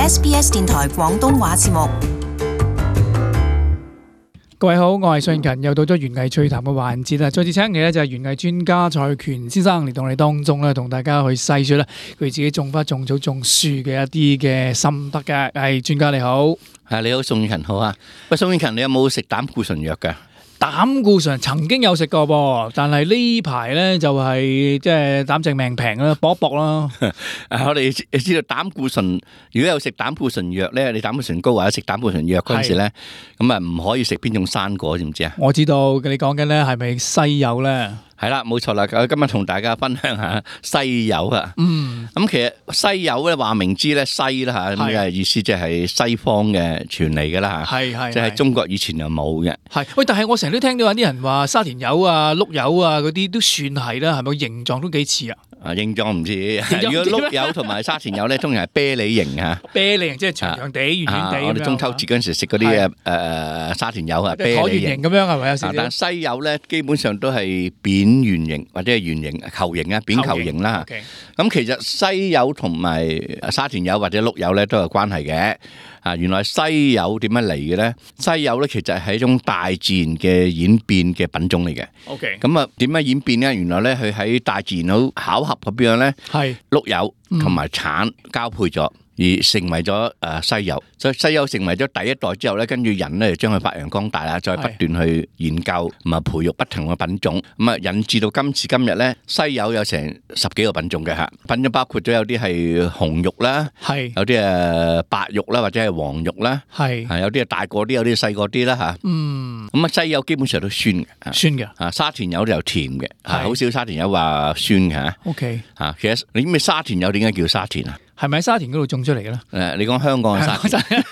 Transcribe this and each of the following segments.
SBS 電台廣東話節目。各位好，我係信勤，又到咗園藝趣談嘅環節啦。再次請嚟咧就係園藝專家蔡權先生嚟到我哋當中咧，同大家去細說啦佢自己種花、種草、種樹嘅一啲嘅心得嘅。係專家你好，係你好，宋勤好啊。喂，宋勤，你有冇食膽固醇藥㗎？膽固醇曾經有食過噃，但係呢排咧就係即係膽正命平啦，搏一搏啦。我哋知道膽固醇，如果有食膽固醇藥咧，你膽固醇高或者食膽固醇藥嗰陣時咧，咁啊唔可以食邊種生果，知唔知啊？我知道你講緊咧係咪西柚咧？係啦，冇錯啦。今日同大家分享下西柚啊。咁其實西柚咧話明知咧西啦嚇，咁嘅意思即係西方嘅傳嚟㗎啦嚇。係即係中國以前又冇嘅。喂，但係我成日都聽到有啲人話沙田柚啊、碌柚啊嗰啲都算係啦，係咪形狀都幾似啊？形狀唔似，如果碌柚同埋沙田柚咧，通常係啤梨形啊。啤梨形即係長長地、圓圓地。我哋中秋節嗰陣時食嗰啲沙田柚啊，啤梨形咁樣係咪有少少？但西柚咧基本上都係扁圓形或者係圓形、球形啊，扁球形啦。咁其實西柚同埋沙田柚或者碌柚咧都有關係嘅。原來西柚點樣嚟嘅咧？西柚咧其實係一種大自然嘅演變嘅品種嚟嘅。咁啊點樣演變咧？原來咧佢喺大自然好巧合咁樣咧，碌柚同埋橙交配咗，而成為咗西柚。所以西柚成為咗第一代之後咧，跟住人咧就將佢發揚光大啦，再不斷去研究同埋培育不同嘅品種，咁啊引致到今時今日咧，西柚有成10幾個品種嘅嚇。品種包括咗有啲係紅肉啦，有啲係白肉啦，或者係黃肉啦，有啲係大個啲，有啲細個啲啦嚇。咁啊西柚基本上都酸嘅，沙田柚就甜嘅，好少沙田柚話酸嘅嚇。其實你知唔知沙田柚點解叫沙田啊？係咪喺沙田嗰度種出嚟嘅咧？你講香港嘅沙田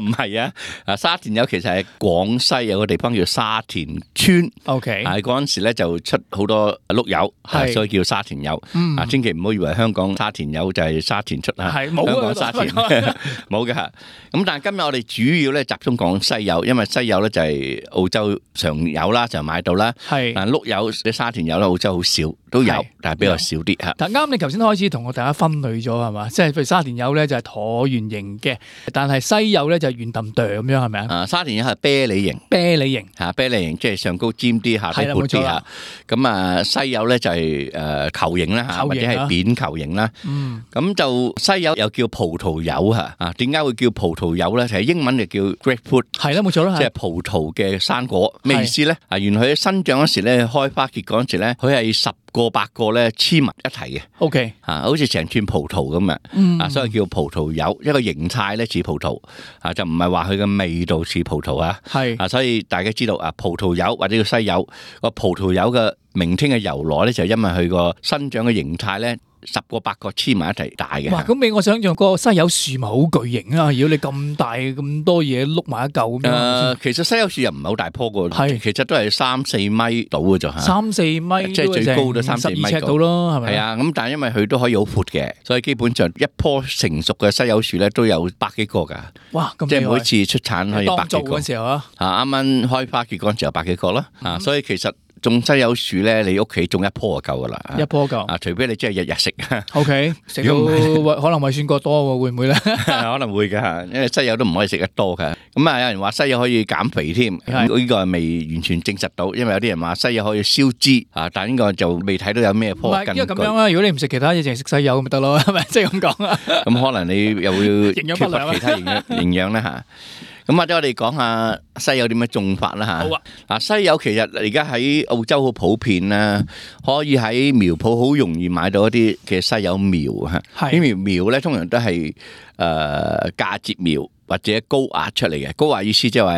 唔係啊？沙田柚其實係廣西有個地方叫沙田村。嗰陣時咧就出好多碌柚，所以叫沙田柚。千祈唔好以為香港沙田柚就係沙田出啊！香港沙田冇嘅。咁但係今日我哋主要咧集中講西柚，因為西柚咧就係澳洲常有啦，就買到啦。但碌柚啲沙田柚咧澳洲好少都有，但係比較少啲嚇。但啱你頭先開始同我大家分類咗係嘛？即係譬如沙田柚咧就係橢圓形嘅，但係西柚咧就係圓揼哚咁樣係咪啊？沙田柚係啤梨形，啤梨形即係上高尖啲，下低闊啲嚇。咁啊西柚咧就係球形啦嚇，或者係扁球形啦。咁就西柚又叫葡萄柚嚇。點解會叫葡萄柚咧？其實英文就叫 grapefruit。係啦，冇錯啦，即係葡萄嘅生果。咩意思咧？原來佢生長嗰時咧，開花結果嗰時咧，佢係10個8個咧黐埋一齊嘅。好似成串葡萄咁啊。所以叫葡萄柚，一個形態咧似葡萄，就唔係話佢嘅味道似葡萄啊。所以大家知道葡萄柚或者叫西柚，個葡萄柚嘅名稱嘅由來咧，就係因為佢個生長嘅形態咧，10個8個黐埋一齊大嘅。哇！咁俾我想象個西柚樹咪好巨型啊！如果你咁大咁多嘢碌埋一嚿咁樣。其實西柚樹又唔係好大棵嘅，其實都係3-4米到嘅啫嚇。3-4米，即係最高都3-4米尺到咯，係咪？係啊，咁但係因為佢都可以好闊嘅，所以基本上一棵成熟嘅西柚樹咧都有100幾個㗎。哇！咁即係每次出產可以100幾個。當造嗰時候啊，啱啱開花結果嗰時候100幾個啦。所以其實種西柚樹咧，你屋企種一棵就夠噶啦，一棵夠。除非你真係日日食。食到可能胃酸過多喎，會唔會咧？可能會噶，因為西柚都唔可以食得多噶。咁有人話西柚可以減肥添，呢個係未完全證實到，因為有啲人話西柚可以消脂，但係呢個就未睇到有咩科學根據。因為咁樣啦，如果你唔食其他嘢，淨係食西柚咁咪得咯，係咪？即係咁講啊。咁可能你又要缺乏其他營養咧嚇。咁或者我哋講下西柚點樣種法啦嚇。好啊。西柚其實而家喺澳洲好普遍啦，可以喺苗圃好容易買到一啲嘅西柚苗嚇。呢苗咧通常都係嫁接苗或者高壓出嚟嘅。高壓意思即係話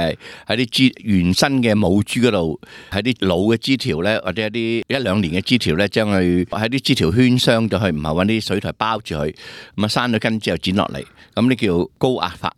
喺啲枝原生嘅母株嗰度，喺啲老嘅枝條咧，或者一啲1-2年嘅枝條咧，將佢喺啲枝條圈傷咗佢，唔係揾啲水苔包住佢，咁啊生咗根之後剪落嚟，咁呢叫高壓法。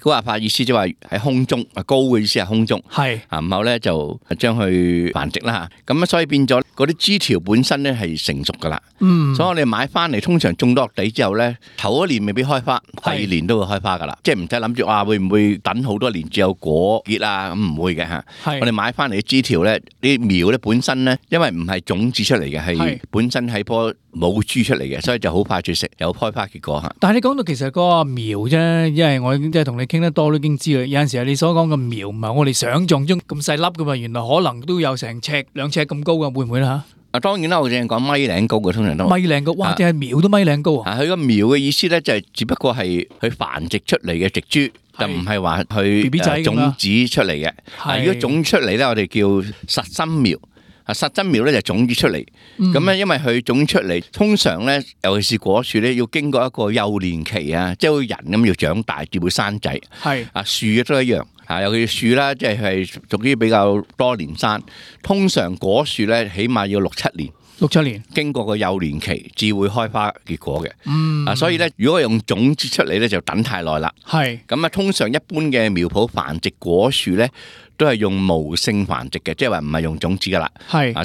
高壓法意思即係話喺空中，高嘅意思係空中，然後咧就將佢繁殖啦嚇。咁所以變咗嗰啲枝條本身咧係成熟噶啦。所以我哋買翻嚟通常種落地之後咧，頭1年未必開花，第2年都會開花噶啦。即係唔使諗住話會唔會等好多年至有果結啊？咁唔會嘅嚇。我哋買翻嚟嘅枝條咧，啲苗咧本身咧，因為唔係種子出嚟嘅，係本身喺棵冇株出嚟嘅，所以就好快脆食，有開花結果嚇。但係你講到其實嗰個苗啫，因為我即係同你傾得多都已經知啦。有陣時你所講嘅苗唔係我哋想象中咁細粒噶嘛，原來可能都有成尺兩尺咁高噶，會唔會啦嚇？當然啦，我淨係講米零高嘅，通常都米零高，哇！淨係苗都米零高啊！佢個苗嘅意思咧，就係只不過係佢繁殖出嚟嘅植株。就唔係話佢種子出嚟嘅。如果種出嚟咧，我哋叫實心苗。實真苗咧就種子出嚟。咁咧，因為佢種出嚟，通常咧，尤其是果樹咧，要經過一個幼年期啊，即係好似人咁要長大，至會生仔。樹嘅都一樣。尤其是樹啦，即係屬於比較多年生。通常果樹咧，起碼要6-7年。6-7年經過個幼年期，至會開花結果嘅。所以咧，如果用種子出嚟咧，就等太耐啦。咁啊，通常一般嘅苗圃繁殖果樹咧，都係用無性繁殖嘅，即係話唔係用種子噶啦。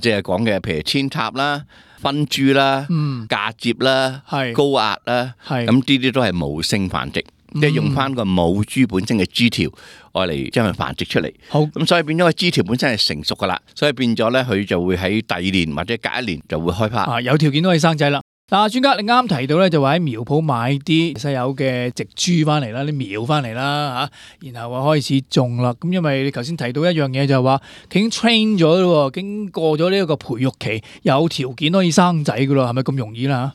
即係講嘅，譬如扦插啦、分株啦、嫁接啦、高壓啦，咁呢啲都係無性繁殖。即係用翻個母株本身嘅枝條，愛嚟將佢繁殖出嚟。好，咁所以變咗個枝條本身係成熟噶啦，所以變咗咧，佢就會喺第2年或者隔1年就會開花。有條件都可以生仔啦。嗱，專家你啱提到咧，就話喺苗圃買啲西柚嘅植株翻嚟啦，啲苗翻嚟啦嚇，然後話開始種啦。咁因為你頭先提到一樣嘢就係話，佢已經 train 咗咯，經過咗呢一個培育期，有條件可以生仔噶咯，係咪咁容易啦？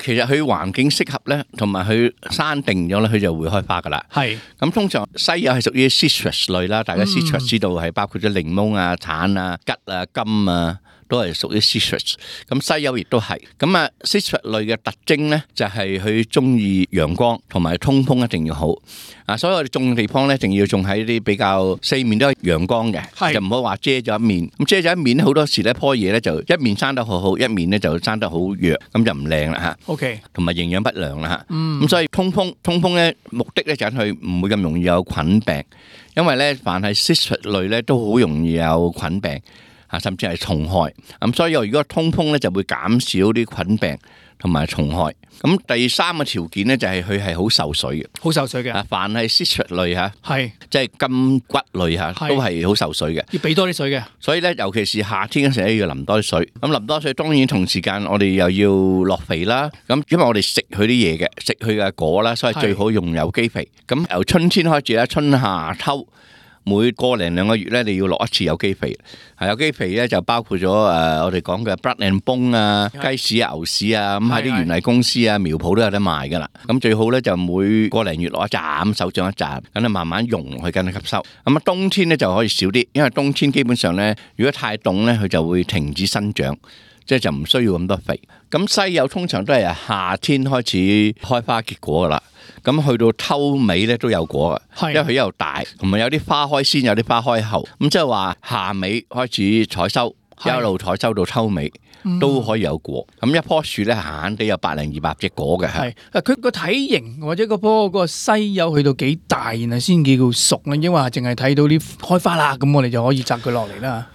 其實佢環境適合咧，同埋佢生定咗咧，佢就會開花噶啦。咁通常西柚係屬於 citrus 類啦，大家 citrus 知道係包括咗檸檬啊、橙啊、桔啊、柑啊，都係屬於 citrus。咁西柚亦都係。citrus 類嘅特徵咧，就係佢中意陽光同埋通風一定要好。所以我哋種嘅地方咧，一定要種喺啲比較四面都係陽光嘅，就唔好話遮咗一面。咁遮咗一面好多時咧，棵嘢咧就一面生得好好，一面咧就生得好弱，咁就唔靚啦嚇。OK， 同埋營養不良啦嚇。咁所以通風咧，目的咧就係佢唔會咁容易有菌病，因為咧凡係 citrus 類咧都好容易有菌病甚至係蟲害。咁所以如果通風咧，就會減少啲菌病同埋蟲害。咁第3個條件咧就係佢係好受水嘅，好受水嘅。凡係 citrus 類即係柑橘類都係好受水嘅，要俾多啲水嘅。所以咧，尤其是夏天嗰時咧，要淋多啲水。咁淋多水，當然同時間我哋又要落肥啦。咁因為我哋食佢啲嘢嘅，食佢嘅果啦，所以最好用有機肥。咁由春天開始咧，春夏秋。每個零2個月咧，你要落一次有機肥。有機肥咧就包括咗我哋講嘅 blood and bone 啊、雞屎啊、牛屎啊，咁喺啲園藝公司啊、苗圃都有得賣噶啦。咁最好咧就每個零月落一紮，手掌一紮，咁你慢慢溶去跟佢吸收。咁冬天咧就可以少啲，因為冬天基本上咧，如果太凍咧，佢就會停止生長，即係就唔需要咁多肥。咁西柚通常都係夏天開始開花結果噶啦。咁去到秋尾咧都有果嘅，因為佢又大，同埋有啲花開先，有啲花開後，咁即係話夏尾開始採收，一路採收到秋尾都可以有果。咁一棵樹咧閒閒地有100-200隻果嘅。佢個體型或者嗰個西柚去到幾大，然後先叫熟咧，因為淨係睇到啲開花啦，咁我哋就可以摘佢落嚟啦。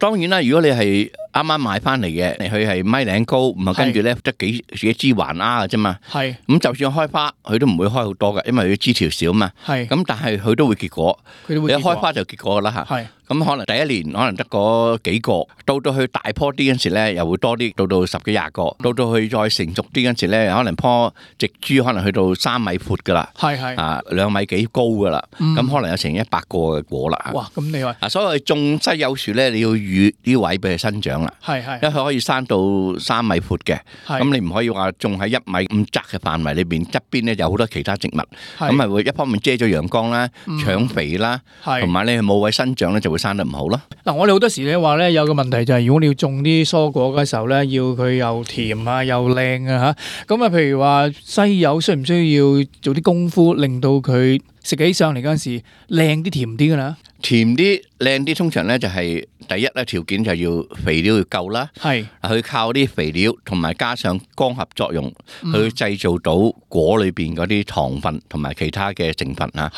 當然啦，如果你係啱啱買翻嚟嘅，佢係米零高，唔係跟住咧得幾枝環丫嘅啫嘛。咁就算開花，佢都唔會開好多嘅，因為佢枝條少嘛。咁但係佢都會結果，你一開花就結果啦嚇。咁可能第1年可能得嗰幾個，到去大棵啲嗰時咧，又會多啲，到10幾20個，到去再成熟啲嗰時咧，可能棵植株可能去到3米闊噶啦，2米幾高噶啦，咁可能有成100個嘅果啦。哇！咁厲害！所以我哋種西柚樹咧，你要預啲位俾佢生長啦。因為佢可以生到3米闊嘅，咁你唔可以話種喺1米咁窄嘅範圍裏邊，側邊咧有好多其他植物，咁係會一方面遮咗陽光啦、搶肥啦，同埋咧冇位生長咧就會生得唔好咯。嗱，我哋好多時咧話咧有個問題就係，如果你要種啲蔬果嘅時候咧，要佢又甜啊又靚啊嚇，咁啊譬如話西柚需唔需要做啲功夫，令到佢食起上嚟嗰陣時靚啲甜啲㗎啦？甜啲靚啲，通常咧就係第一咧條件就要肥料要夠啦。佢靠啲肥料同埋加上光合作用，去製造到果裏邊嗰啲糖分同埋其他嘅成分啊。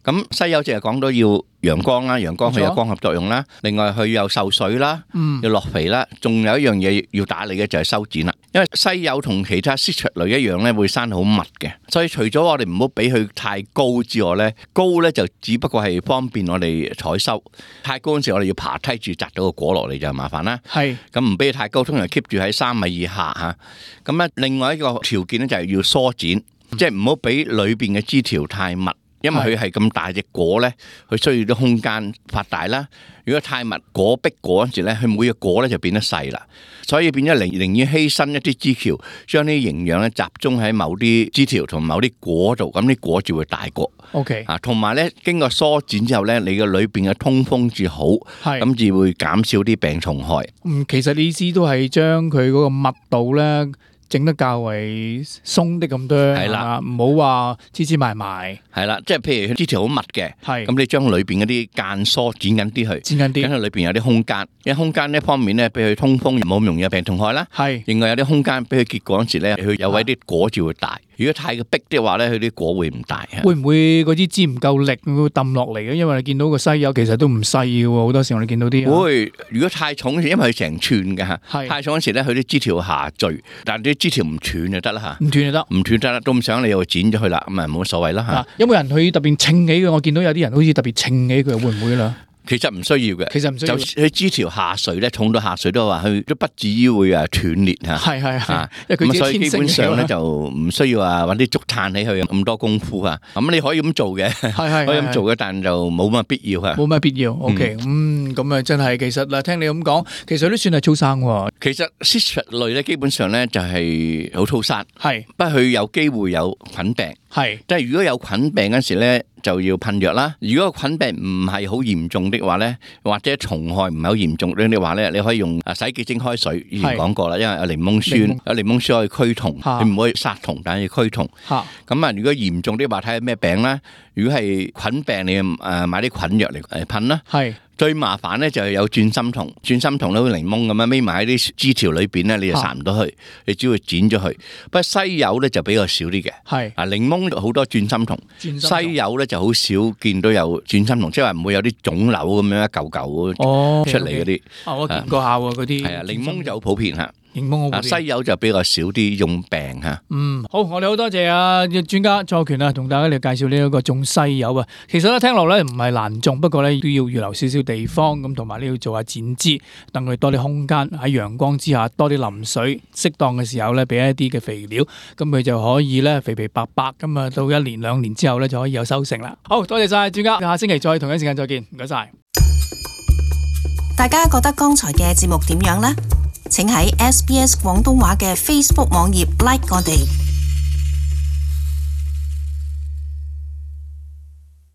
咁西柚就係講到要陽光啦，陽光佢有光合作用啦，另外佢又受水啦，要落肥啦，仲有一樣嘢要打理嘅就係修剪啦。因為西柚同其他 citrus 類一樣咧，會生好密嘅，所以除咗我哋唔好俾佢太高之外咧，高咧就只不過係方便我哋採收，太高嗰時我哋要爬梯住摘到個果落嚟就麻煩啦。係咁唔俾佢太高，通常 keep 住喺3米以下嚇。咁咧另外一個條件咧就係要疏剪，即係唔好俾裏邊嘅枝條太密。因為佢係咁大隻果咧，佢需要啲空間發大啦。如果太密果逼果嗰陣時咧，佢每個果咧就變得細啦。所以變咗寧願犧牲一啲枝條，將啲營養咧集中喺某啲枝條同某啲果度，咁啲果就會大個。OK 啊，同埋咧經過疏剪之後咧，你嘅裏邊嘅通風至好，咁至會減少啲病蟲害。其實你意思都係將佢嗰個密度咧整得較為鬆啲咁多，係啦，唔好話黐埋埋。係啦，即係譬如枝條好密嘅，咁你將裏邊嗰啲間疏剪緊啲去，剪緊啲，等佢裏邊有啲空間。因為空間呢方面咧，俾佢通風，冇咁容易有病蟲害啦。係，另外有啲空間俾佢結果嗰時咧，佢有位啲果就會大。如果太逼嘅話咧，佢啲果會唔大。會唔會嗰啲枝唔夠力會抌落嚟嘅？因為你見到個西柚其實都唔細嘅喎，好多時我哋見到啲。會，如果太重嗰時，因為佢成串嘅嚇，太重嗰時咧，佢啲枝條下墜，但係啲枝條唔斷就得啦嚇。唔斷就得，唔斷得啦，都唔想你又剪咗佢啦，咁啊冇乜所謂啦嚇。有冇人去特別稱起嘅？我見到有啲人好似特別稱起佢，會唔會啦？其實唔需要嘅，就佢枝條下垂咧，重到下垂都話佢都不至於會斷裂嚇。係，咁所以基本上咧就唔需要話揾啲竹炭起佢咁多功夫啊。咁你可以咁做嘅，可以咁做嘅，但就冇乜必要嚇。冇乜必要。OK，咁啊真係其實嗱，聽你咁講，其實都算係粗生喎。其實 citrus 類咧，基本上咧就係好粗生，不過佢有機會有菌病。即係如果有菌病嗰時咧，就要噴藥啦。如果菌病唔係好嚴重的話咧，或者蟲害唔係好嚴重的話咧，你可以用洗潔精開水。以前講過啦，因為有檸檬酸，有檸檬酸可以驅蟲，你唔可以殺蟲，但係要驅蟲。咁啊，如果嚴重啲話，睇下咩病啦。如果係菌病，你買啲菌藥嚟噴啦。最麻煩咧就係有轉心蟲，轉心蟲咧好似檸檬咁樣匿埋喺啲枝條裏邊咧，你就殺唔到佢，你只要剪咗佢。不過西柚咧就比較少啲嘅。檸檬好多轉心蟲，西柚咧就好少見到有轉心蟲，即係話唔會有啲腫瘤咁樣一嚿嚿出嚟嗰啲。我見過下喎嗰啲。係啊，檸檬就好普遍嚇。西柚就比較少啲用病嚇。好，我哋好多謝專家蔡權同大家嚟介紹呢一個種西柚啊。其實咧聽落咧唔係難種，不過咧都要預留少少地方咁，同埋你要做下剪枝，等佢多啲空間喺陽光之下，多啲淋水，適當嘅時候咧俾一啲嘅肥料，咁佢就可以咧肥肥白白咁啊，到1年2年之後咧就可以有收成啦。好多謝晒專家，下星期再同一時間再見，唔該晒。大家覺得剛才嘅節目點樣呢？請喺SBS 廣東話嘅 Facebook 網頁 like 我哋。